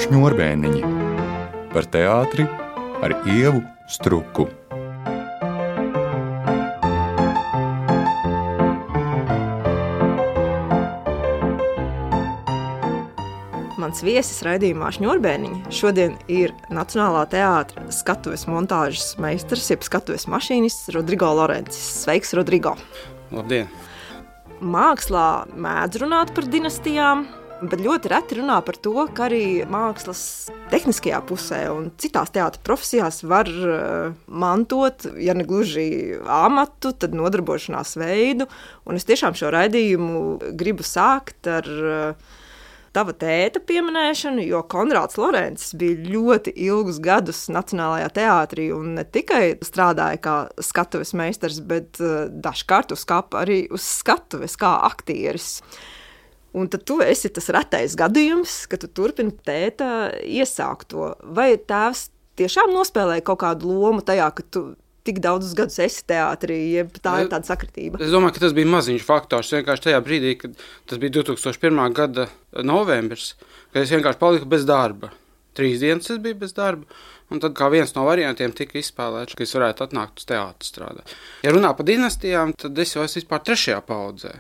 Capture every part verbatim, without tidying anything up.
Šņurbēniņi par teātri ar Ievu Struku. Mans viesis raidījumā Šņurbēniņi šodien ir Nacionālā teātra skatuves montāžas meistars, jeb skatuves mašīnists Rodrigo Lorencis. Sveiks, Rodrigo! Labdien! Mākslā mēdz runāt par dinastijām, bet ļoti reti runā par to, ka arī mākslas tehniskajā pusē un citās teātra profesijās var uh, mantot, ja ne gluži amatu, tad nodarbošanās veidu. Un es tiešām šo raidījumu gribu sākt ar uh, tava tēta pieminēšanu, jo Konrāds Lorencis bija ļoti ilgus gadus Nacionālajā teātrī un ne tikai strādāja kā skatuves meistars, bet uh, dažkārt uz skapa arī uz skatuves kā aktieris. Un tad tu esi tas retais gadījums, ka tu turpini tēta iesākto. Vai tēvs tiešām nospēlēja kaut kādu lomu tajā, ka tu tik daudzus gadus esi teātrī, jeb tā ir tāda sakritība? Es domāju, ka tas bija maziņš faktors. Vienkārši tajā brīdī, kad tas bija divi tūkstoši pirmā gada novembris, kad es vienkārši paliku bez darba. Trīs dienas es biju bez darba, un tad kā viens no variantiem tika izspēlēts, ka es varētu atnākt uz teātru strādāt. Ja runā par dinastijām, tad es jau esmu vispār trešajā paudzē.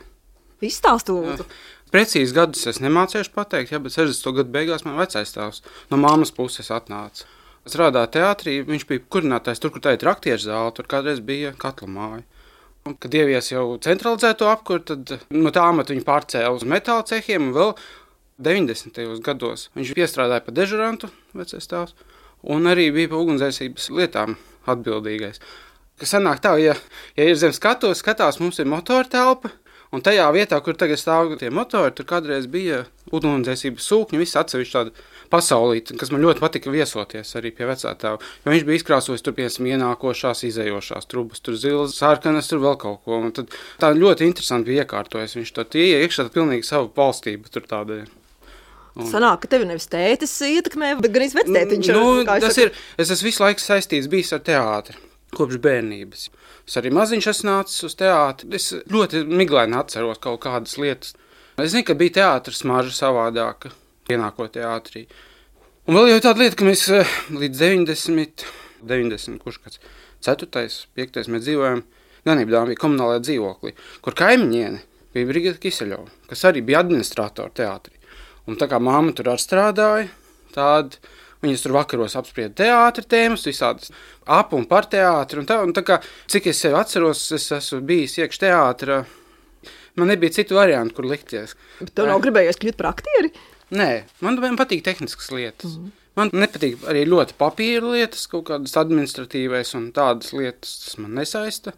Izstāstu lūdzu. Precīzi gadus es nemācēšu pateikt, ja, bet sešdesmito gadu beigās man vecais tēvs no mammas puses atnāca. Es strādāju teātrī, viņš bija kurinātājs tur, kur tā ir aktieru zāle, tur kādreiz bija katla māja. Un, kad ievies jau centralizēto apkuru, tad no tā amata viņu pārcēla uz metāla cehiem, un vēl deviņdesmitajos gados viņš piestrādāja pa dežurantu, vecais tēvs, un arī bija pa ugunsdzēsības lietām atbildīgais. Kas sanāk tā, ja, ja ir zem skatuves, skatās, mums ir motora telpa, un tajā vietā, kur tagad stāv tie motori, tur kādreiz bija ugunsdzēsības sūkņi, viss atsevišķi tāda pasaulīte, kas man ļoti patika viesoties arī pie vecā tēva. Jo viņš bija izkrāsojis tur, piemēram, ienākošās, izējošās trubas, tur zilas, sarkanas, tur vēl kaut ko. Un tad tā ļoti interesanti bija iekārtojies. Viņš to tie iekšā pilnīgi savu valstību tur tāda. Un... Sanāk, ka tevi nevis tētis ietekmē, bet gan izvectētiņš. Nu, tas ir, es esmu visu laiku saistīts bijis ar teātri. Kopš bērnības. Es arī maziņš esmu nācis uz teātri. Es ļoti miglaini atceros kaut kādas lietas. Es zinu, ka bija teātris smarža savādāka, ienākot teātrī. Un vēl jau tāda lieta, ka mēs līdz deviņdesmit, deviņdesmit, kurš kāds ceturtais, piektais mēs dzīvojam Ganībdām bija komunālajā dzīvoklī, kur kaimiņiene bija Brigita Kiseļova, kas arī bija administratora teātrī. Un tā kā mamma tur arī strādāja, tāda... Viņas tur vakaros apsprieda teātra tēmas, visādas ap un par teātru. Un tā, un tā kā, cik es sevi atceros, es esmu bijis iekš teātra, man nebija citu variantu, kur likties. Bet tev nav gribējies kļūt par aktieri? Nē, man, man patīk tehniskas lietas. Mm. Man nepatīk arī ļoti papīra lietas, kaut kādas administratīvais un tādas lietas, tas man nesaista.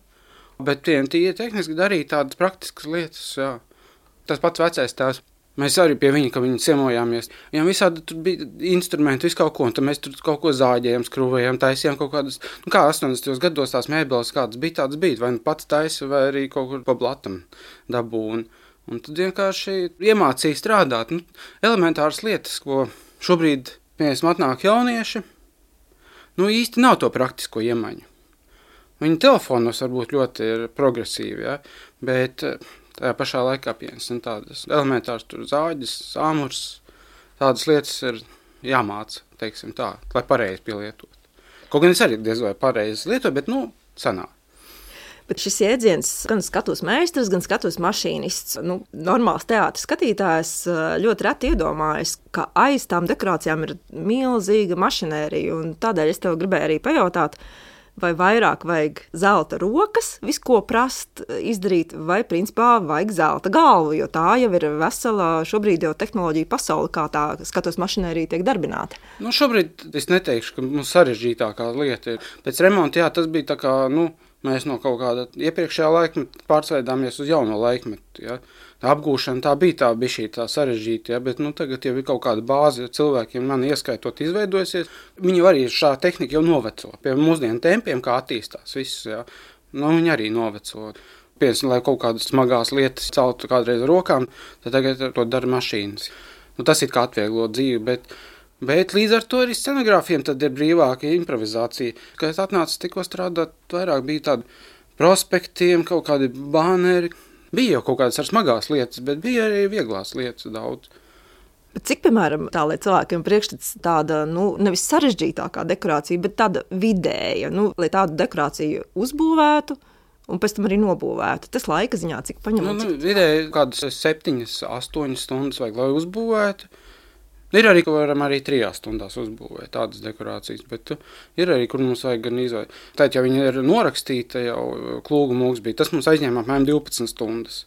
Bet tie ir tehniski darīt tādas praktiskas lietas, jā. Tas pats vecais tēvs. Mēs arī pie viņa, ka viņi ciemojāmies. Viņam visādi tur bija instrumenti, visu kaut ko, un tad mēs tur kaut ko zāģējām, skrūvējām, taisījām kaut kādas, nu kā astoņdesmitajos gados tās mēbeles kādas bija, tādas bija, vai nu pats taisa, vai arī kaut kur pa blatam dabū. Un, un tad vienkārši iemācīja strādāt. Nu, elementāras lietas, ko šobrīd, piemēram, atnāk jaunieši, nu īsti nav to praktisko iemaņu. Viņi telefonos varbūt ļoti ir progresīvi, ja, bet... Tajā pašā laikā piemēram tādas elementāras tur zāģes, āmurs, tādas lietas ir jāmāca, teiksim tā, lai pareizi pielietot. Kaut gan es arī diez vai pareizi lietoju, bet, nu, sanāk. Bet šis jēdziens gan skatuves meistars, gan skatuves mašīnists, nu, normāls teātris skatītājs ļoti reti iedomājas, ka aiz tām dekorācijām ir milzīga mašinērija, un tādēļ es tev gribēju arī pajautāt, vai vairāk vajag zelta rokas, visu ko prast izdarīt, vai principā vajag zelta galvu, jo tā jau ir vesela šobrīd jau tehnoloģija pasaule, kā tā skatuves mašinērija tiek darbināta. Nu, šobrīd es neteikšu, ka mums sarežģītākā lieta ir. Pēc remonta, jā, tas bija tā kā, nu, mēs no kaut kāda iepriekšējā laikmeta pārsveidāmies uz jauno laikmetu, ja. Tā apgūšana tā bija tā bišķī tā sarežģīta, ja, bet nu, tagad jau ir kaut kāda bāze, ja cilvēkiem man ieskaitot izveidojusies. Viņi arī šā tehnika jau noveco. Pie mūsdienu tempiem, kā attīstās viss, ja, nu, viņi arī noveco. Piemēram, lai kaut kādas smagās lietas celtu kādreiz ar rokām, tad tagad to dara mašīnas. Nu, tas ir kā atvieglo dzīvi, bet, bet līdz ar to arī scenogrāfiem tad ir brīvāka improvizācija. Kad es atnācu tikko strādāt, vairāk bija tādi prospektiem, kaut kādi bāneri. Bija jau kaut kādas ar smagās lietas, bet bija arī vieglās lietas daudz. Bet cik, piemēram, tā, lai cilvēkiem priekšstats tāda, nu, nevis sarežģītākā dekorācija, bet tāda vidēja, nu, lai tādu dekorāciju uzbūvētu un pēc tam arī nobūvētu. Tas laika ziņā, cik paņem? Nu, nu, cik... vidēji kādas septiņas, astoņas stundas vajag, lai uzbūvētu. Ir arī, ka varam arī trijās stundās uzbūvēt tādas dekorācijas, bet ir arī, kur mums vajag gan izvēlēt. Tātad, ja viņi ir norakstīta, jau klūga mūks bija, tas mums aizņēma apmēram divpadsmit stundas.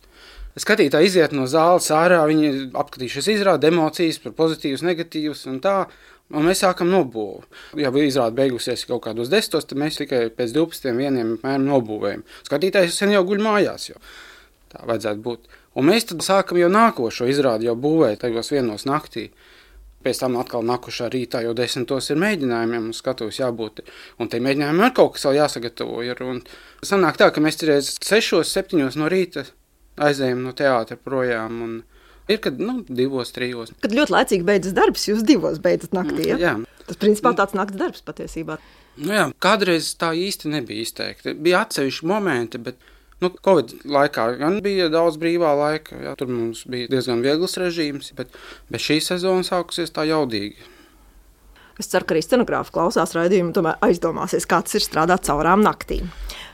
Skatītāji iziet no zāles ārā, viņi apskatījušies izrādi emocijas par pozitīvas, negatīvas un tā, un mēs sākam nobūvu. Ja izrādi beigusies kaut kādos desmitos, tad mēs tikai pēc divpadsmitiem vieniem apmēram nobūvējam. Skatītājs sen jau guļ mājās, jau tā vajadzētu būt. Un mēs tad sākam jau nākošo izrādi jau būvēt tajos vienos naktī. Pēc tam atkal nākušā rītā jau desmitos ir mēģinājumiem un skatuves jābūt. Un te mēģinājumiem ir kaut kas vēl jāsagatavo. Ir, un sanāk tā, ka mēs reiz sešos, septiņos no rīta aizējam no teātra projām. Un ir, kad, nu, divos, trijos. Kad ļoti laicīgi beidzas darbs, jūs divos beidzat naktī, ja? Jā. Tas, principā, tāds nakts darbs patiesībā. Nu jā, kādreiz tā īsti nebija izteikti. Bija atsevišķi momenti, bet... Nu, Covid laikā gan bija daudz brīvā laika, jā, tur mums bija diezgan viegls režīms, bet, bet šī sezona sākusies tā jaudīgi. Es ceru, ka arī scenogrāfi klausās raidījumu, tomēr aizdomāsies, kā tas ir strādāt caurām naktīm.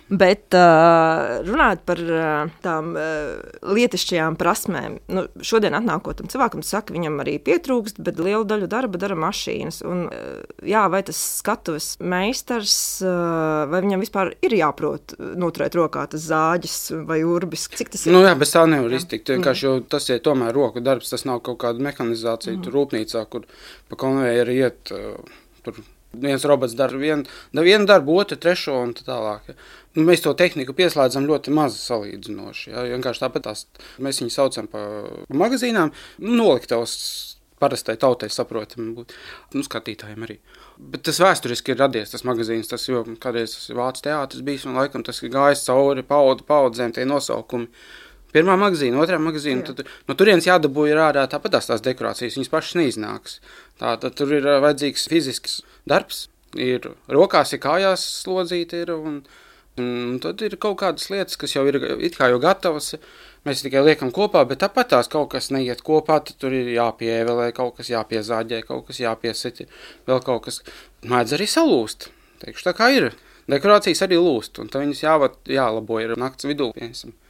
Bet uh, runājot par uh, tām uh, lietišķajām prasmēm, nu, šodien atnākotam cilvēkam saka, viņam arī pietrūkst, bet lielu daļu darba dara mašīnas. Un, uh, jā, vai tas skatuves meistars, uh, vai viņam vispār ir jāprot noturēt rokā tas zāģis vai urbis? Cik tas ir? Nu jā, bez tā nevar iztikt. Vienkārši jau tas ir tomēr roku darbs, tas nav kaut kāda mehanizācija mm. tur rūpnīcā, kur pa konvejeru iet uh, tur. Viens robots dara vienu, vienu darbu, otru, trešo un tā tālāk. Ja. Mēs to tehniku pieslēdzam ļoti maz salīdzinoši. Ja. Vienkārši tāpat tās, mēs viņu saucam pa magazīnām, noliktavas parastai tautai saprotam būt, nu, skatītājiem arī. Bet tas vēsturiski ir radies, tas magazīns, tas jau kādreiz tas ir Vācu teātris bijis, un laikam tas ir gājis cauri paudu, paudzēm tie nosaukumi. Pirmā magazīna, otrā magazīna, tad no turienes jādabū ir ārā tāpat tās, tās dekorācijas, viņas pašas neiznāks. Tā, tad tur ir vajadzīgs fizisks darbs, ir rokās, ir kājās slodzīti ir, un, un tad ir kaut kādas lietas, kas jau ir it kā jau gatavas, mēs tikai liekam kopā, bet tāpat tās kaut kas neiet kopā, tad tur ir jāpievelē, kaut kas jāpiezāģē, kaut kas jāpiesiti, vēl kaut kas mēdz arī salūst, teikšu, tā kā ir. Dekorācijas arī lūst, un tad viņas jāvat, jālabo ir nakts vidū, piemēram.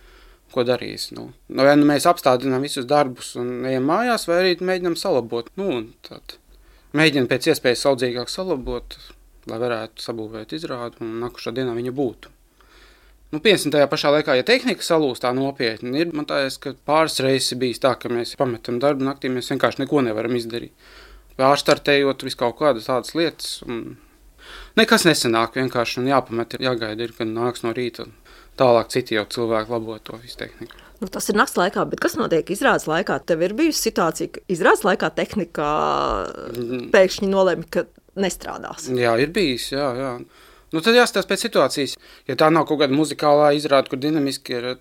Ko darīs? Nu, vai nu mēs apstādinām visus darbus un ejam mājās, vai arī mēģinām salabot. Nu, un tad mēģinām pēc iespējas saudzīgāk salabot, lai varētu sabūvēt izrādu un nākušā dienā viņa būtu. Nu, piemēram, tajā pašā laikā, ja tehnika salūst tā nopietni, ir, man tājas, ka pāris reizes bijis tā, ka mēs pametam darbu naktī, mēs vienkārši neko nevaram izdarīt. Pārstartējot visu kaut kādas tādas lietas, un nekas nesanāk vienkārši, un jāpamet, jāgaida ir, kad nāks no rīta. Tālāk citi jau cilvēki labo to visu tehniku. Nu, tas ir nakts laikā, bet kas notiek izrādes laikā? Tev ir bijusi situācija, ka izrādes laikā tehnika pēkšņi nolēma, ka nestrādās. Jā, ir bijis, jā, jā. Nu, tad jāstās pēc situācijas. Ja tā nav kaut kāda muzikālā izrāde, kur dinamiski ir,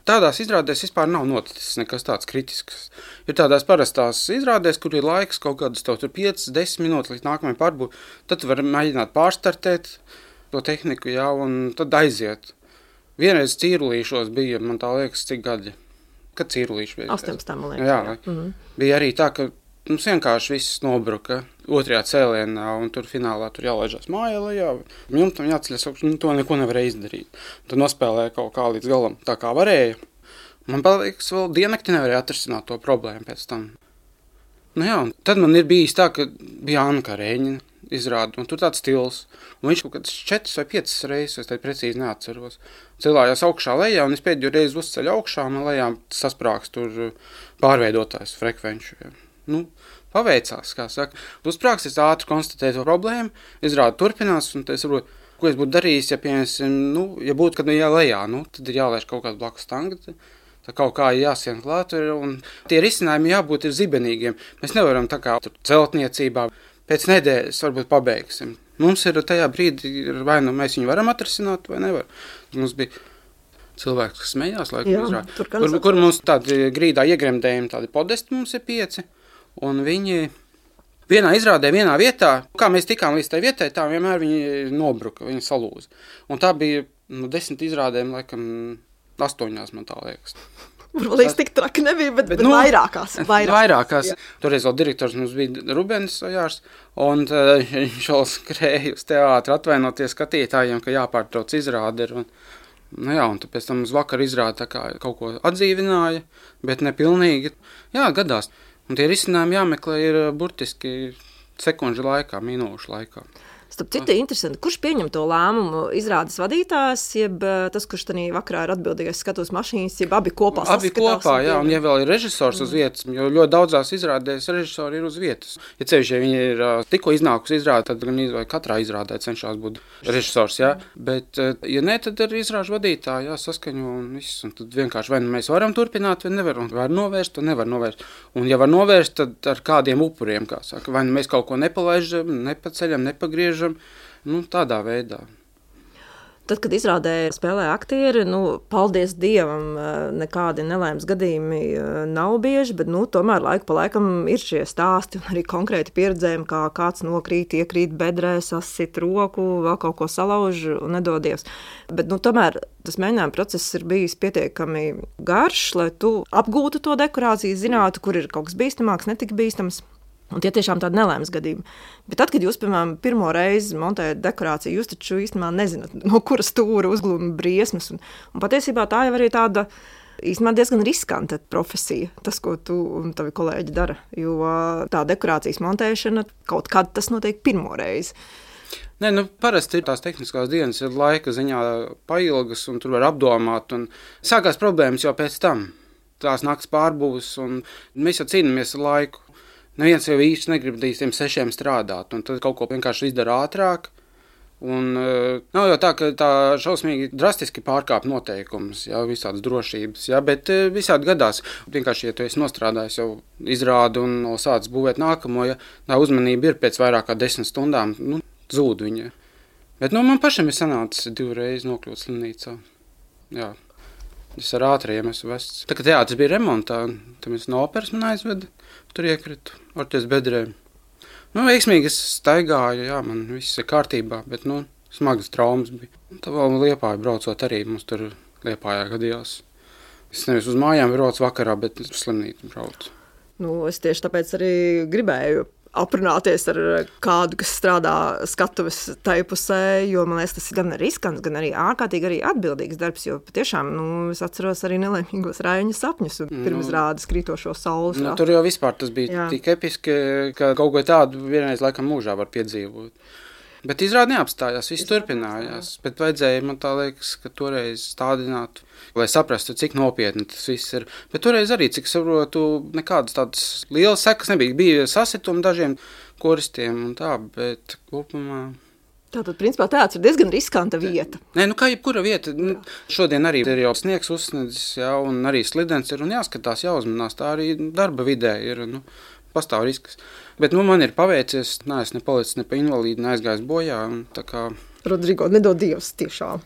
tādās izrādēs vispār nav noticis nekas tāds kritisks. Ir tādās parastās izrādēs, kur ir laiks kaut kādas tev tur piecas, desmit minūtes līdz nākamajai pārbūt, tad tu vari mēģināt pārstartēt to tehniku, jā, un tad aiziet. Vienreiz Cīrulīšos bija, man tā liekas, cik gadi, kad Cīrulīši bija. astoņpadsmit, man liekas. Jā, jā. Mm-hmm. Bija arī tā, ka mums vienkārši viss nobruka otrajā cēlienā, un tur finālā tur jālaižās mājā lejā. Jumtam jāceļas, nu, to neko nevarēja izdarīt. Tad nospēlēja kaut kā līdz galam tā kā varēja. Man paliekas, vēl diennakti nevarēja atrisināt to problēmu pēc tam. Nu jā, un tad man ir bijis tā, ka bija Anna Karēņina izrāda, un tur tāds stils. Un viņš kaut kāds četras vai piecas reizes, es te precīzi neatceros, cilājās augšā lejā, un es pēdējo reizi uzceļu augšā, un lejā sasprāks tur pārveidotājs frekvenču. Nu, paveicās, kā saka. Uzsprāks, es ātri konstatēju to problēmu, izrāda turpinās, un es saprotu, ko es būtu darījis, ja, piemēram, nu, ja būtu, kad jā lejā, nu, tad ir jālaiž kaut kāds blakus tanga, tā kaut kā jāsien klāt, un tie risinājumi jābūt ir zibenīgiem. Mēs nevaram tā kā tur celtniecībā, pēc nedēļas varbūt pabeigsim. Mums ir tajā brīdī, vai nu mēs viņu varam atrisināt, vai nevar. Mums bija cilvēks, kas smējās, laikam izrāda, kur, kur mums tādi grīdā iegremdējumi, tādi podesti mums ir pieci, un viņi vienā izrādē, vienā vietā, kā mēs tikām līdz tai vietai, tā vienmēr viņi nobruka, viņi salūza. Un tā bija nu, desmit izrādēm, laikam, astoņās, man tā liekas. Burbuļsaktas tik traki nebija, bet, bet, bet nu, vairākās. Vairāk. Vairākās. Jā. Toreiz vēl direktors mums bija Rubens Ojārs, un viņš vēl skrēja uz teātri atvainoties skatītājiem, ka jāpārtrauc izrāde. Un, nu jā, un pēc tam uz vakaru izrāde tā kā kaut ko atdzīvināja, bet nepilnīgi. Jā, gadās. Un tie risinājumi jāmeklē ir burtiski sekundžu laikā, minūšu laikā. Starp citu, interesanti, kurš pieņem to lēmumu? Izrādes vadītājs, jeb tas, kurš tanī vakarā ir atbildīgais skatuves mašīnas, jeb abi kopā Abi kopā, jā, un ja vēl ir režisors mm. uz vietas, jo ļoti daudzās izrādēs režisori ir uz vietas. Ja cevišķi, ja viņi ir uh, tikko iznākusi izrāde, tad gan izvēl katrā izrādē cenšās būt režisors, jā. Bet, uh, ja ne, tad ir izrāžu vadītāji, jā, saskaņo un viss. Un tad vienkārši vai mēs varam turpināt, vai nevaram. Var novērst, vai nevar novērst. Un ja var novērst, tad ar kādiem upuriem, kā saka. Vai mēs kaut ko nepalaižam, nepaceļam, nepagriežam. Nu, tādā veidā. Tad, kad izrādē spēlē aktieri, nu, paldies Dievam, nekādi nelaimes gadījumi nav bieži, bet, nu, tomēr laiku pa laikam ir šie stāsti un arī konkrēti pieredzējumi, kā kāds nokrīt, iekrīt bedrē, sasit roku, vēl kaut ko salauž un nedodies. Bet, nu, tomēr tas mēģinājuma process ir bijis pietiekami garš, lai tu apgūtu to dekorāciju, zinātu, kur ir kaut kas bīstamāks, netik bīstams. Un tie tiešām tādi nelaimes gadījumi. Bet tad, kad jūs, piemēram, pirmo reizi montējat dekorāciju, jūs taču īstenībā nezināt, no kuras stūra uzglūna briesmas. Un, un patiesībā tā jau arī tāda īstenībā diezgan riskanta profesija, tas, ko tu un tavi kolēģi dara. Jo tā dekorācijas montēšana kaut kad tas notiek pirmo reizi. Nē, nu, parasti ir tās tehniskās dienas, ir laika ziņā pailgas, un tur var apdomāt. Un sākās problēmas jau pēc tam. Tās nakts pārbūs, un mēs jau cīnāmies ar laiku. Neviens jau īsti negrib līdz tiem sešiem strādāt, un tad kaut ko vienkārši izdara ātrāk. Un uh, nav jau tā, ka tā šausmīgi drastiski pārkāp noteikumus, jā, visādas drošības, jā, bet uh, visādi gadās. Vienkārši, ja tu esi nostrādājis jau izrādi un no sācis būvēt nākamo, ja tā uzmanība ir pēc vairāk kā desmit stundām, nu, zūd viņa. Bet, nu, man pašam ir sanācis divreiz nokļūt slimnīcā, jā. Es ar ātriem esmu vests. Tā kā teātris bija remontā, tad mēs no operas man aizveda, tur iekritu, orties bedrēm. Nu, veiksmīgi es staigāju, jā, man viss ir kārtībā, bet, nu, smagas traumas bija. Un tā vēl Liepāju braucot arī, mums tur Liepājā gadījās. Es nevis uz mājām braucu vakarā, bet uz slimnīcu braucu. Nu, es tieši tāpēc arī gribēju aprunāties ar kādu, kas strādā skatuves tai pusē, jo, man liekas, tas ir gan riskants, gan arī ārkārtīgi arī atbildīgs darbs, jo patiešām, nu, es atceros arī nelaimīgos Raiņa sapņus un nu, pirmizrādes krītošo saules. Nu, tur jau vispār tas bija jā. Tik episki, ka kaut ko tādu vienreiz laikam mūžā var piedzīvot. Bet izrādi neapstājās, viss turpinājās, bet vajadzēja, man tā liekas, ka toreiz stādināt, lai saprastu, cik nopietni tas viss ir. Bet toreiz arī, cik saprotu, nekādas tādas lielas sekas nebija. Bija sasitumi dažiem koristiem un tā, bet kopumā... Tātad, principā, teātris ir diezgan riskanta vieta. Nē, nu kā jebkura vieta. Nu, šodien arī ir jau sniegs uzsniedzis, jā, un arī slidens ir, un jāskatās, jāuzmanās. Tā arī darba vidē ir, nu, pastāv risks. Bet, nu, man ir paveicies, neesmu ne palicis ne pa invalīdu, ne aizgājis bojā, un tā kā... Rodrigo, nedod Dievs tiešām.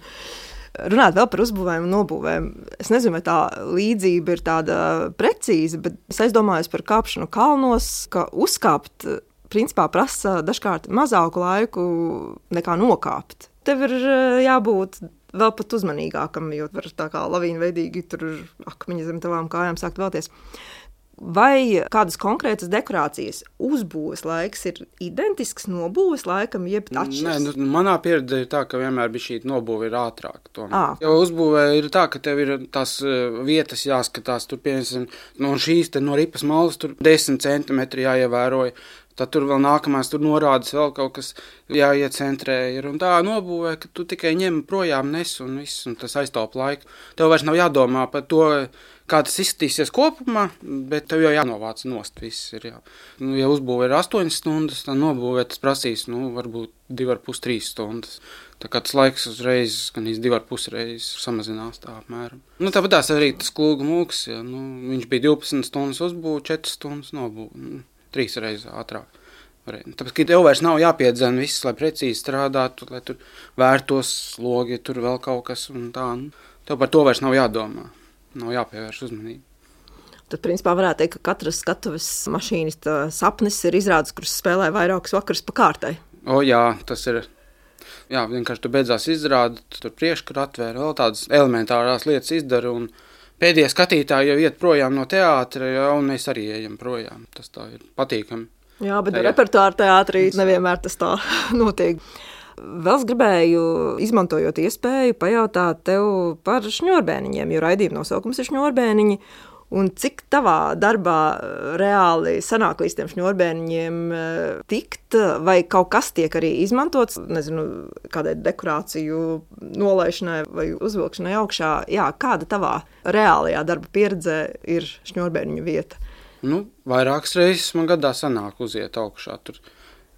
Runāt vēl par uzbūvēm un nobūvēm. Es nezinu, vai tā līdzība ir tāda precīza, bet es aizdomājos par kāpšanu kalnos, ka uzkāpt, principā, prasa dažkārt mazāku laiku nekā nokāpt. Tev ir jābūt vēl pat uzmanīgākam, jo var tā kā lavīnveidīgi tur akmeņi zem tavām kājām sākt vēlties. Vai kādas konkrētas dekorācijas uzbūves laiks ir identisks nobūves laikam, jeb atšķiras? Nē, nu, manā pieredze ir tā, ka vienmēr bija šī nobūve ir ātrāk. Jo uzbūvē ir tā, ka tev ir tās vietas jāskatās, tur piemēram, no šīs te no ripas malas tur desmit centimetri jāievēroja. Tad tur vēl nākamās, tur norādes vēl kaut kas jāiecentrē ir. Un tā nobūvē, ka tu tikai ņem projām nes un viss, un tas aiztaup laiku. Tev vairs nav jādomā par to, kā tas izskatīsies kopumā, bet tev jau jānovāc nost viss ir. Jā. Nu, ja uzbūvē ir astoņas stundas, tad nobūvē tas prasīs, nu, varbūt divi ar pus trīs stundas. Tā kā tas laiks uzreiz, gan iz divi ar pus reizes samazinās tā apmēram. Nu, tāpat tās arī tas Klūga mūks, ja, nu, viņš bija divpadsmit stundas uzbūve, četras stundas nobūve. Nu, trīs reizes ātrāk. Tāpēc, ka tev vairs nav jāpiedzena viss, lai precīzi strādātu, lai tur vērtos slogi, tur vēl kaut kas un tā. Nu, tev par to vairs nav jādomā, nav jāpievērš uzmanību. Tad, principā, varētu teikt, ka katras skatuves mašīnas sapnis ir izrādes, kuras spēlē vairākus vakarus pa kārtai. O jā, tas ir, jā, vienkārši tu beidzās izrādi, tu tur priekškar atvēra, vēl tādas elementārās lietas izdara un pēdējie skatītāji jau iet projām no teātra, ja, un mēs arī ejam projām. Tas tā ir patīkami. Jā, bet repertuāra teātrī nevienmēr tas tā notiek. Vēl es gribēju, izmantojot iespēju, pajautāt tev par šņurbēniņiem, jo raidījuma nosaukums ir šņurbēniņi. Un cik tavā darbā reāli sanāk līdz tiem šņurbēniņiem tikt, vai kaut kas tiek arī izmantots, nezinu, kādai dekorāciju nolaišanai vai uzvilkšanai augšā? Jā, kāda tavā reālajā darba pieredzē ir šņurbēniņu vieta? Nu, vairākas reizes man gadā sanāk uziet augšā tur.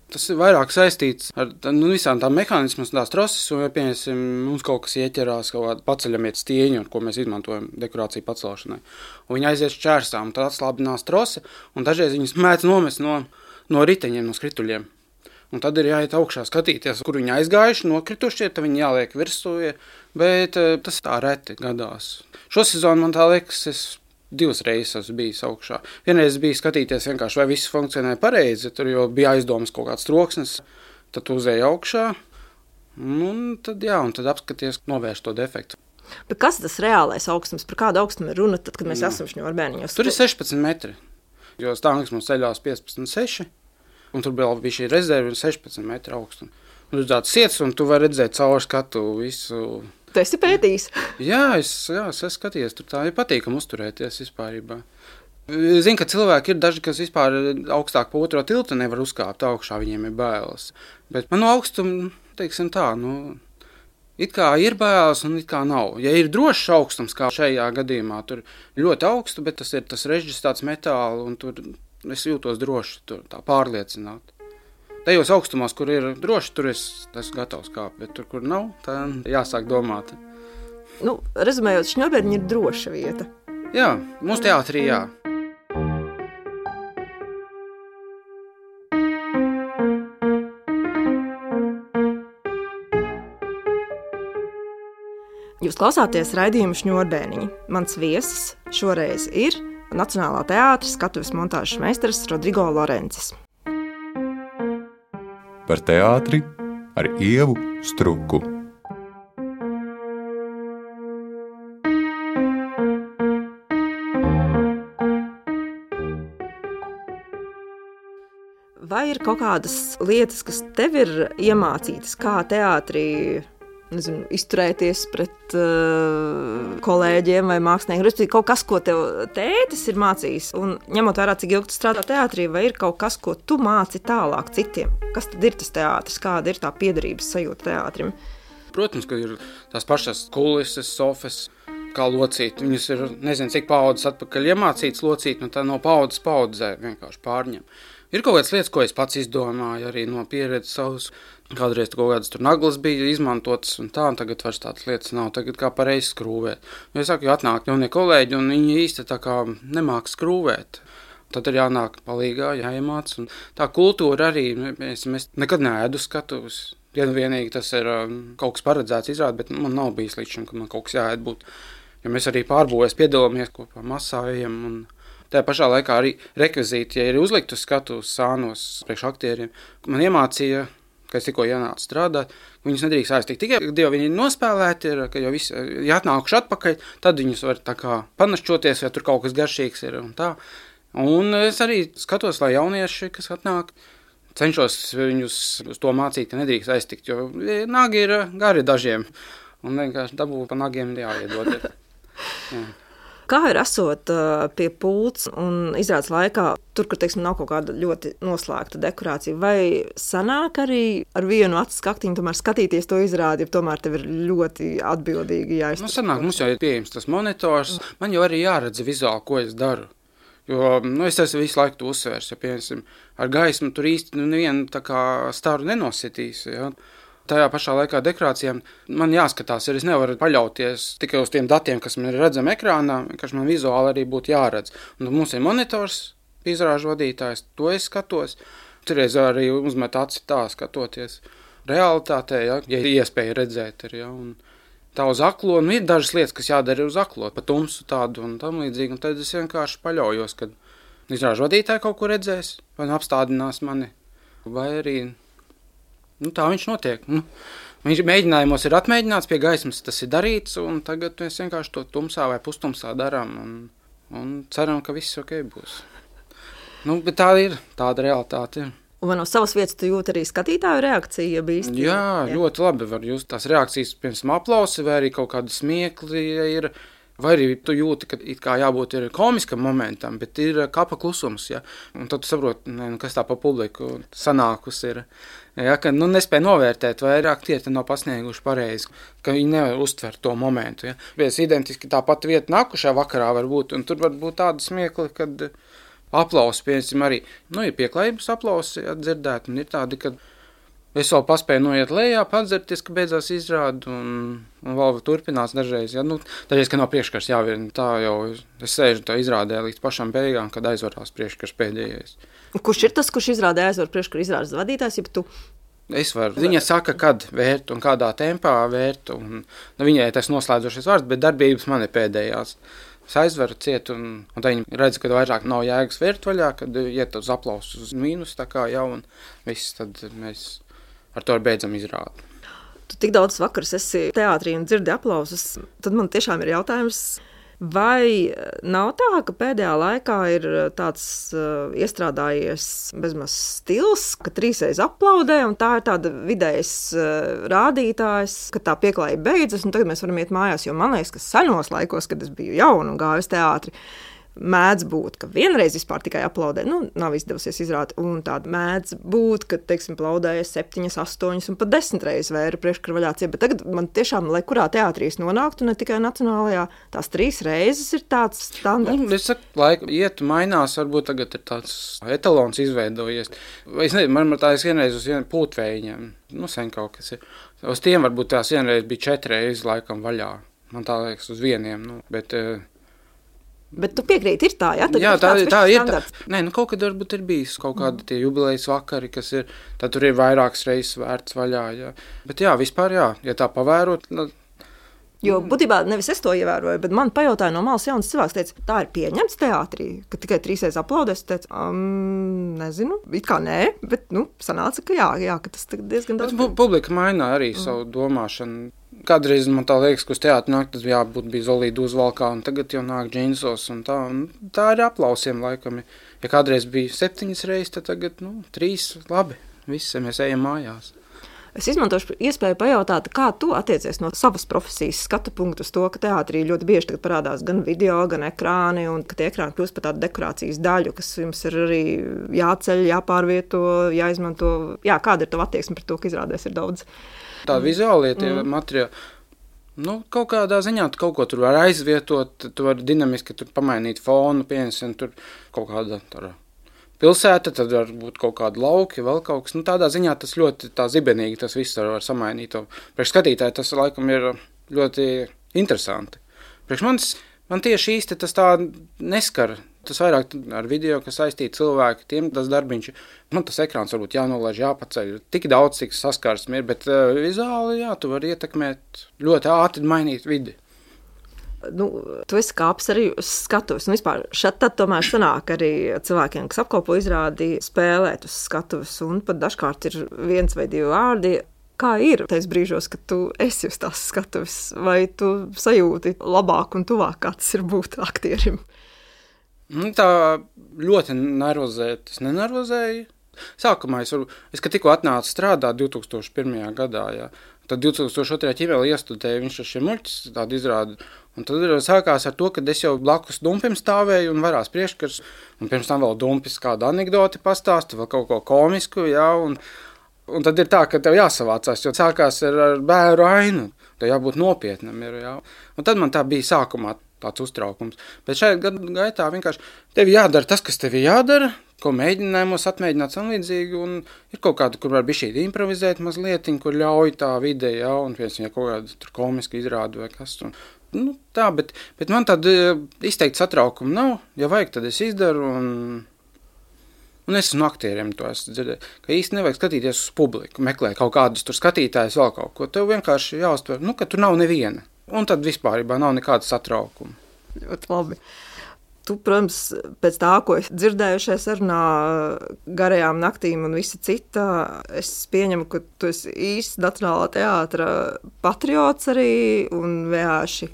Tas ir vairāk saistīts ar nu, visām tām mehānismas, tās troses, un, ja pieņemsim, mums kaut kas ieķerās, kaut kāda paceļamiet stieņu, ko mēs izmantojam dekorāciju pacelšanai. Un viņi aizies čērsām, tad atslābinās trose, un dažreiz viņas mēdz nomest no, no riteņiem, no skrituļiem. Un tad ir jāiet augšā skatīties, kur viņi aizgājuši, nokritušie, tad viņi jāliek virsū, bet tas tā reti gadās. Šo sezonu man tā liekas, es divas reizes esmu bijis augšā. Vienreiz bija skatīties vienkārši, vai viss funkcionē pareizi, tur jau bija aizdomas kaut kāds troksnis, tad tu uzēji augšā, un tad, jā, un tad apskaties, novērš to defektu. Bet kas tas reālais augstums, par kādu augstumu ir runa, tad, kad mēs jā. esam šņurbēniņos? Tur ir sešpadsmit metri, jo stāvnieks mums ceļās piecpadsmit seši, un tur vēl bija šī rezerve sešpadsmit metri augstumi. Un tur tāds siets, un tu vari redzēt caur skatu visu. Tu esi pētījis? Jā, es, jā, es esmu skatījies, tur tā ir patīkami uzturēties vispārībā. Zinu, ka cilvēki ir daži, kas vispār augstāk pa otro tiltu nevar uzkāpt augšā, viņiem ir bailes. Bet man no augstuma, teiksim tā, nu, it kā ir bailes un it kā nav. Ja ir drošs augstums, kā šajā gadījumā, tur ļoti augstu, bet tas ir tas režģis tāds metāli, un tur es jūtos droši, tur tā pārliecināt. Tajos augstumos, kur ir droši, tur es esmu gatavs kāpt, bet tur, kur nav, tā jāsāk domāt. Nu, rezumējot, šņurbēniņi ir droša vieta. Jā, mūsu teātrī jā. Jūs klausāties raidījumu Šņurbēniņi. Mans viesis šoreiz ir Nacionālā teātra skatuves montāžas meistars Rodrigo Lorencis. Par teātri ar Ievu Struku. Vai ir kaut kādas lietas, kas tev ir iemācītas, kā teātrī, nezinu, izturēties pret uh, kolēģiem vai māksliniekiem? Respektīvi, kaut kas, ko tev tētis ir mācījis, un ņemot vērā, cik ilgi tu strādā teātrī, vai ir kaut kas, ko tu māci tālāk citiem? Kas tad ir tas teātris? Kāda ir tā piederības sajūta teātrim? Protams, ka ir tās pašas kulises, sofas, kā locīt. Viņas ir, nezinu, cik paudzes atpakaļ iemācītas locīt, nu tā no paudzes paudzē vienkārši pārņem. Ir kaut kādas lietas, ko es pats izdomāju, arī no pieredzes savas. Kādreiz kaut kādas tur naglas bija izmantotas un tā, un tagad vairs tādas lietas nav. Tagad kā pareizi skrūvēt. Jo es saku, jo atnāk jaunie kolēģi, un viņi īsti tā kā nemāk skrūvēt. Tad ir jānāk palīgā, jāiemāc. Un tā kultūra arī, mēs, mēs nekad neēdu skatuves. Ja nu vienīgi tas ir um, kaut kas paredzēts izrādi, bet man nav bijis līdz šim, ka man kaut kas jāēd būt. Jo mēs arī pārbūvēs piedalāmies kopā masājiem un tajā pašā laikā arī rekvizīti, ja ir uzlikt uz skatuves sānos priekš aktieriem. Man iemācīja, ka es tikko ienācu strādāt, viņus nedrīkst aiztikt. Tikai, kad jau viņi ir nospēlēti, ir, ka jau visi, ja atnākuši atpakaļ, tad viņus var tā kā panašķoties, ja tur kaut kas garšīgs ir un tā. Un es arī skatos, lai jaunieši, kas atnāk, cenšos viņus uz to mācīt, ka nedrīkst aiztikt, jo nagi ir gari dažiem. Un vienkārši dabū pa nagiem jāiedod. Jā. Kā ir esot uh, pie pults un izrādes laikā, tur, kur, teiksim, nav kaut kāda ļoti noslēgta dekorācija, vai sanāk arī ar vienu acu skaktiņu tomēr skatīties to izrādi, ja tomēr tev ir ļoti atbildīgi jāiztur? Nu, sanāk, mums jau ir pieejams tas monitors, man jau arī jāredz vizuāli, ko es daru. Jo, nu, es esmu visu laiku to uzsvērs, ja, piemēram, ar gaismu tur īsti nu, nevienu tā kā staru nenositīs, ja. Tajā pašā laikā dekorācijām man jāskatās, ja es nevaru paļauties tikai uz tiem datiem, kas man ir redzami ekrānā, vienkārši man vizuāli arī būtu jāredz. Un mums ir monitors, izrāžu vadītājs, to es skatos. Turreiz arī uzmet aci tā skatoties realitātē, ja, ja ir iespēja redzēt. Ir, ja, un tā uz aklo, nu ir dažas lietas, kas jādara uz aklo, pa tumsu tādu un tam līdzīgi. Un tad es vienkārši paļaujos, kad izrāžu vadītāji kaut ko redzēs, vai nu apstādinās mani, vai arī... Nu, tā viņš notiek. Nu, Viņš mēģinājumos ir atmēģināts, pie gaismas tas ir darīts, un tagad mēs vienkārši to tumsā vai pustumsā darām, un, un ceram, ka viss ok būs. Nu, bet tā ir, tāda realitāte ir. Un no savas vietas tu jūti arī skatītāju reakciju, ja bīsti? Jā, jā, ļoti labi var just tās reakcijas, piemēram, aplausi, vai arī kaut kāda smiekli ir, vai arī tu jūti, ka it kā jābūt ir komiskam momentam, bet ir kapa klusums, ja? Un tad tu saproti, ne, nu, kas tā pa publiku sanākus ir, ja? Ka nu, nespēja novērtēt, vai ir aktieri nav pasnieguši pareizi, ka viņi nevar uztvert to momentu. Ja? Vies identiski tā pati vieta nākušā vakarā var būt, un tur var būt tāda smiekli, kad aplausi, piemēram, arī, nu, ir pieklājības aplausi dzirdēt, un ir tādi, kad es vēl paspēju noiet lejā, padzerties, ka beidzās izrādu, un, un vēl turpinās dažreiz, ja, nu, dažreiz, ka nav priekškars jāvirina, tā jau es sēžu tā izrādē līdz pašam beigām, kad aizvarās priekškars pēdējais. Kurš ir tas, kurš izrādē aizvar priekškara izrādes vadītājs, ja tu? Es varu. Viņa saka, kad vērt un kādā tempā vērt, un nu, viņai tas noslēdzošais vārds, bet darbības man ir pēdējās. Es aizveru ciet, un, un tā viņi redz, ka vairāk nav jēgas vērt vaļā, kad iet uz aplausu uz mīnus, tā kā jau, un viss, tad mēs ar to beidzam izrādi. Tu tik daudz vakars esi teātrī un dzirdi aplausus, tad man tiešām ir jautājums, vai nav tā, ka pēdējā laikā ir tāds uh, iestrādājies bezmaz stils, ka trīsreiz aplaudē, un tā ir tāda vidējs uh, rādītājs, ka tā pieklājība beidzas, un tagad mēs varam iet mājās, jo man liekas, ka senos laikos, kad es biju jauna un gāju uz teātri, mēdz būt, ka vienreiz vispār tikai aplaudē, nu, nav izdevusies izrādīt, un tāda mēdz būt, ka, teiksim, aplaudēja septiņas, astoņas un pat desmit reizes vēra priekškara vaļā ciet, bet tagad man tiešām, lai kurā teātrī es nonāktu, ne tikai nacionālajā, tās trīs reizes ir tāds standarts. Nu, es saku, laika iet, mainās, varbūt tagad ir tāds etalons izveidojies. Es nezinu, man tā es vienreiz uz vienu pūtvējiņiem, nu, sen kaut kas ir. Uz tiem varbūt tās vienreiz bija četri reizes laikam vaļā. Man tā liekas uz vieniem, nu, bet... Bet tu piekrīti, ir tā, ja? Tad jā, tā, tā ir tā. Standarts. Nē, nu kaut kad varbūt ir bijis kaut kādi tie jubilejas vakari, kas ir, tad tur ir vairākas reizes vērts vaļā, jā. Bet jā, vispār jā, ja tā pavērot. Tad... Jo būtībā nevis es to ievēroju, bet man pajautāja no malas jauns cilvēks, teica, tā ir pieņemts teātrī, ka tikai trīsreiz aplaudēs, teica, um, nezinu, it kā nē, bet, nu, sanāca, ka jā, jā, ka tas diezgan daudz. Bet publika mainā arī mm. savu domāšanu. Kādreiz man tā liekas, ka uz teātri nāk, tas jābūt bija Zolīda uzvalkā, un tagad jau nāk džinsos, un tā, un tā ir aplausiem laikam. Ja kādreiz bija septiņas reizes, tad tagad, nu, trīs, labi, visi, mēs ejam mājās. Es izmantošu iespēju pajautāt, kā tu attiecies no savas profesijas skatu punktu uz to, ka teātrī ļoti bieži tagad parādās gan video, gan ekrāni, un ka tie ekrāni kļūst par tādu dekorācijas daļu, kas jums ir arī jāceļ, jāpārvieto, jāizmanto. Jā, kāda ir tava attieksme par to, ka izrādēs ir daudz? Tāda vizuālie tie mm. materiāli, nu, kaut kādā ziņā tu kaut ko tur var aizvietot, tu vari dinamiski tur pamainīt fonu, piemēram, tur kaut kāda tāda pilsēta, tad var būt kaut kāda lauki, vēl kaut kas, nu, tādā ziņā tas ļoti tā zibenīgi, tas viss var samainīt. Priekš skatītāji tas laikam ir ļoti interesanti. Priekš manis, man tieši īsti tas tā neskar. Tas vairāk ar video, kas saistīti cilvēki, tiem tas darbiņš, nu, tas ekrāns varbūt jānolaiž, jāpaceļ, tik daudz, cik saskarsmi ir, bet uh, vizuāli, jā, tu vari ietekmēt, ļoti ātri mainīt vidi. Nu, tu esi kāpis arī uz skatuves, un vispār šeit tad tomēr sanāk arī cilvēkiem, kas apkopo izrādi, spēlēt uz skatuves, un pat dažkārt ir viens vai divi vārdi. Kā ir tais brīžos, kad tu esi uz tās skatuves, vai tu sajūti labāk un tuvāk, kā tas ir būt aktierim? Nu, tā ļoti nervozēt, es nenervozēju. Sākumā es, varu, es kad tikko atnācu strādāt divi tūkstoši pirmajā gadā, jā, tad divi tūkstoši otrajā ķimēlī iestudēju, viņš ar šiem muļķis tādu izrādi. Un tad sākās ar to, ka es jau blakus Dumpim stāvēju un varās priekškars, un pirms tam vēl Dumpis kādu anekdoti pastāstu, vēl kaut ko komisku, jā, un, un tad ir tā, ka tev jāsavācās, jo sākās ar, ar bēru ainu, tev jābūt nopietnam, ir, jā. Un tad man tā bija sākumā tāds uztraukums. Bet šajā gadu gaitā vienkārši tev jādara tas, kas tev jādara, ko mēģinājumos atmēģināt samlīdzīgi, un ir kaut kāda, kur var bišķīt improvizēt mazlietiņ, kur ļauj tā vide, jā, un piemēram, ja kaut kāda tur komiska izrāda vai kas. Un, nu, tā, bet, bet man tāda izteikti satraukuma nav. Ja vajag, tad es izdaru, un, un es no aktieriem to esmu dzirdēju, ka īsti nevajag skatīties uz publiku, meklēt kaut kādus tur skatītājus, vēl kaut ko. Tev vienkārši jāuztver, nu, ka tur nav neviena. Un tad vispārībā nav nekāda satraukuma. Ļoti labi. Tu, protams, pēc tā, ko es dzirdēju šajā sarunā, garajām naktīm un visa cita, es pieņemu, ka tu esi īsts Nacionālā teātra patriots arī un vienkārši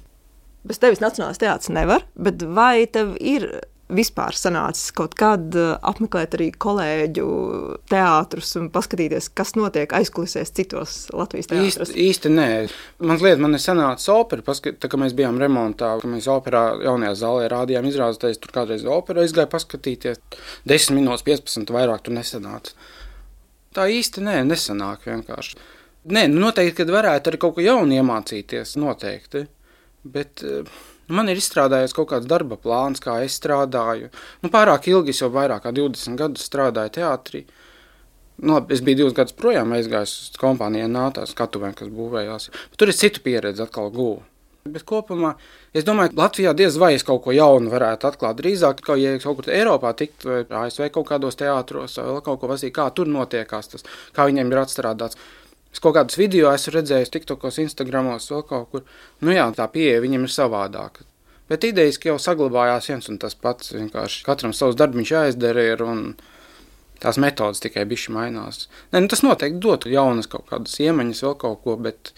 bez tevis Nacionālais teātris nevar, bet vai tev ir vispār sanācis kaut kad apmeklēt arī kolēģu teātrus un paskatīties, kas notiek aizkulisēs citos Latvijas teātros? Īsti, īsti nē. Man lieta, man ir sanācis opera, paskat, tā kā mēs bijām remontā, ka mēs operā jaunajā zālē rādījām izrādēties, tur kādreiz opera aizgāja paskatīties, desmit minūtes, piecpadsmit vairāk tur nesanāca. Tā īsti nē, nesanāk vienkārši. Nē, nu noteikti, kad varētu arī kaut ko jaunu iemācīties, noteikti, bet man ir izstrādājies kaut kāds darba plāns, kā es strādāju. Nu, pārāk ilgi, es jau vairāk kā divdesmit gadus strādāju teātrī. Nu, es biju divus gadus projām aizgājis uz kompānijā nātās skatuvēm, kas būvējās. Bet tur es citu pieredzi atkal guvu. Bet kopumā, es domāju, Latvijā diez vai es kaut ko jaunu varētu atklāt. Drīzāk, kā ja kaut kur Eiropā tikt, vai A S V kaut kādos teātros, vai vēl kaut ko vasīt, kā tur notiekās tas, kā viņiem ir atstrādāts. Es kaut kādus video esmu redzējis TikTokos, Instagramos, vēl kaut kur. Nu jā, tā pieeja viņam ir savādāka. Bet idejiski jau saglabājās viens un tas pats. Vienkārši katram savs darbiņš jāizdara ir un tās metodas tikai bišķi mainās. Ne, nu tas noteikti dotu jaunas kaut kādas iemaņas, vēl kaut ko, bet,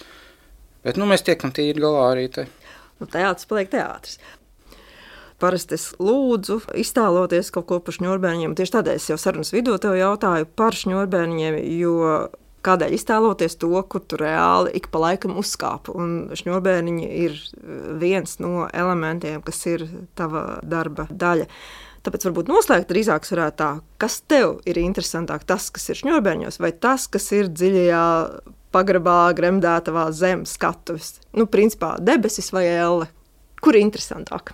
bet nu mēs tiekam tīri galā arī te. Nu teātris paliek teātris. Parasti es lūdzu iztēloties kaut ko par šņurbēniņiem. Tieši tādēļ es jau sarunas vidū tev jautāju par šņurbēniņiem, jo kādēļ iztēloties to, kur tu reāli ik pa laikam uzkāpu. Un šņurbēniņi ir viens no elementiem, kas ir tava darba daļa. Tāpēc varbūt noslēgt drīzāk varētu tā, kas tev ir interesantāk, tas, kas ir šņurbēņos, vai tas, kas ir dziļajā pagrabā gremdētavā zem skatuves. Nu, principā, debesis vai elle. Kur ir interesantāk?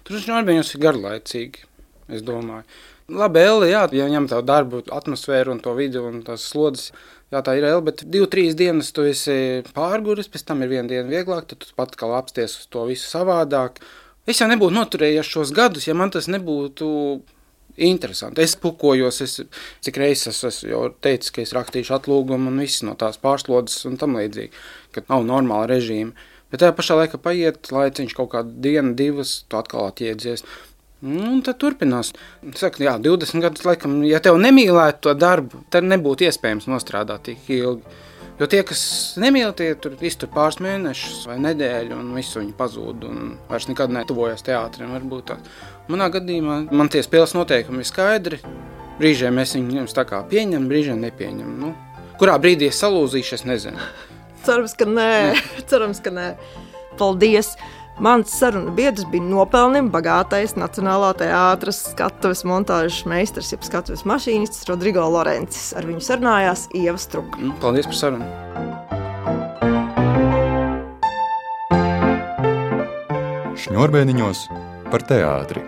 Tur šņurbēņos ir garlaicīgi, es domāju. Labi, elle, jā, ja ņem tavu darbu, atmosfēru un to vidi un tās slodzes, jā, tā ir elle, bet divu, trīs dienas tu esi pārguris, pēc tam ir viena diena vieglāk, tad tu pat kā apsties uz to visu savādāk. Es jau nebūtu noturējies šos gadus, ja man tas nebūtu interesanti. Es pukojos, es, cik reizes es jau teicu, ka es rakstīšu atlūgumu un viss no tās pārslodzes un tam līdzīgi, ka nav normāla režīma. Bet tajā pašā laikā paiet laiciņš kaut kādu dienu, divas, tu atkal atjēdzies. Un tad turpinās. Saka, jā, divdesmit gadus laikam, ja tev nemīlētu to darbu, tad nebūtu iespējams nostrādāt tik ilgi. Jo tie, kas nemīl, tie tur iztur pāris mēnešus vai nedēļu un visu viņi pazūd un vairs nekad netuvojas teātrim. Varbūt tā. Manā gadījumā man tie spēles noteikumi ir skaidri. Brīžiem es viņus tā kā pieņem, brīžiem nepieņem. Nu, kurā brīdī es salūzīšu, es nezinu. Cerams, ka nē. Cerams, ka nē. Paldies! Mans saruna biedrs bija nopelnim bagātais Nacionālā teātra skatuves montāžas meistars, jeb skatuves mašīnists Rodrigo Lorencis. Ar viņu sarunājās Ieva Struka. Paldies par sarunu. Šņurbēniņos par teātri.